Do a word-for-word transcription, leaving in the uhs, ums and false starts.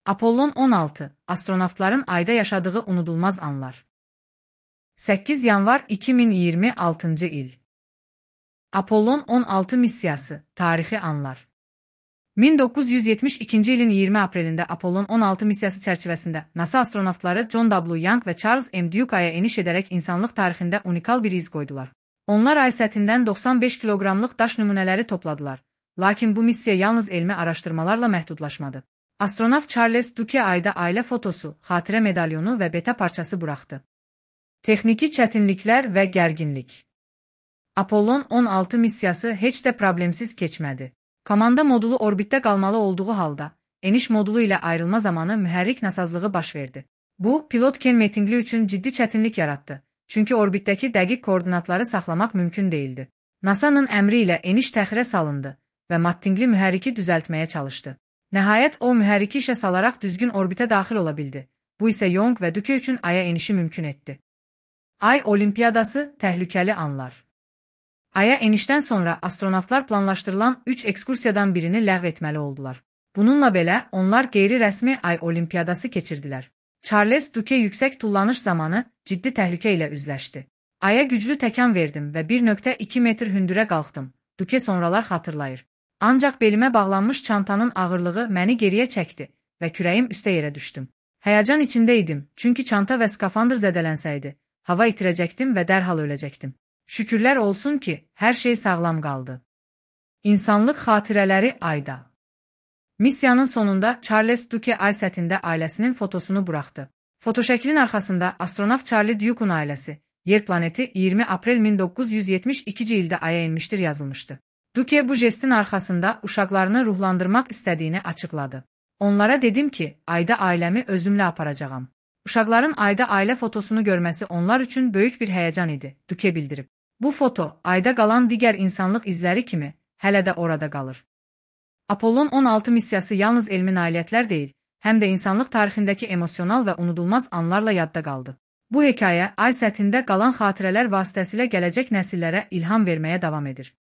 Apollon on altı, astronavtların ayda yaşadığı unudulmaz anlar. səkkiz yanvar iki min iyirmi altıncı il. Apollon on altı missiyası, tarixi anlar. min doqquz yüz yetmiş ikinci ilin iyirmi aprelində Apollon on altı missiyası çərçivəsində NASA astronavtları John W. Young və Charles M. Duke aya eniş edərək insanlıq tarixində unikal bir iz qoydular. Onlar ay səthindən doxsan beş kiloqramlıq daş nümunələri topladılar, lakin bu missiya yalnız elmi araşdırmalarla məhdudlaşmadı. Astronavt Charles Duke ayda ailə fotosu, xatirə medalyonu və beta parçası buraxdı. Texniki çətinliklər və gərginlik. Apollon on altı missiyası heç də problemsiz keçmədi. Komanda modulu orbitdə qalmalı olduğu halda, eniş modulu ilə ayrılma zamanı mühərrik nasazlığı baş verdi. Bu, pilot Ken Mattingly üçün ciddi çətinlik yaratdı, çünki orbitdəki dəqiq koordinatları saxlamaq mümkün değildi. NASA'nın əmri ilə eniş təxirə salındı və Mattingly mühərriki düzəltməyə çalışdı. Nəhayət o mühərriki işə salaraq düzgün orbitə daxil ola bildi. Bu isə Young və Duke üçün aya enişi mümkün etdi. Ay Olimpiyadası, təhlükəli anlar. Aya enişdən sonra astronavtlar planlaşdırılan üç ekskursiyadan birini ləğv etməli oldular. Bununla belə, onlar qeyri-rəsmi Ay Olimpiyadası keçirdilər. Charles Duke yüksək tullanış zamanı ciddi təhlükə ilə üzləşdi. Aya güclü təkan verdim və bir nöqtə iki metr hündürə qalxdım. Duke sonralar xatırlayır. Ancaq belimə bağlanmış çantanın ağırlığı məni geriyə çəkdi və kürəyim üstə yerə düşdüm. Həyəcan içində idim, çünki çanta və skafandr zədələnsəydi, hava itirəcəkdim və dərhal öləcəkdim. Şükürlər olsun ki, hər şey sağlam qaldı. İnsanlıq xatirələri ayda. Missiyanın sonunda Charles Duke ay səthində ailəsinin fotosunu buraxdı. Fotoşəklin arxasında astronavt Charlie Duke'un ailəsi, Yer planeti iyirmi aprel min doqquz yüz yetmiş ikinci ildə aya enmişdir yazılmışdı. Duke bu jestin arxasında uşaqlarını ruhlandırmaq istədiyini açıqladı. Onlara dedim ki, ayda ailəmi özümlə aparacağam. Uşaqların ayda ailə fotosunu görməsi onlar üçün böyük bir həyəcan idi, Duke bildirib. Bu foto, ayda qalan digər insanlıq izləri kimi, hələ də orada qalır. Apollon on altı missiyası yalnız elmi nailiyyətlər deyil, həm də insanlıq tarixindəki emosional və unudulmaz anlarla yadda qaldı. Bu hekayə, ay səthində qalan xatirələr vasitəsilə gələcək nəsillərə ilham verməyə davam edir.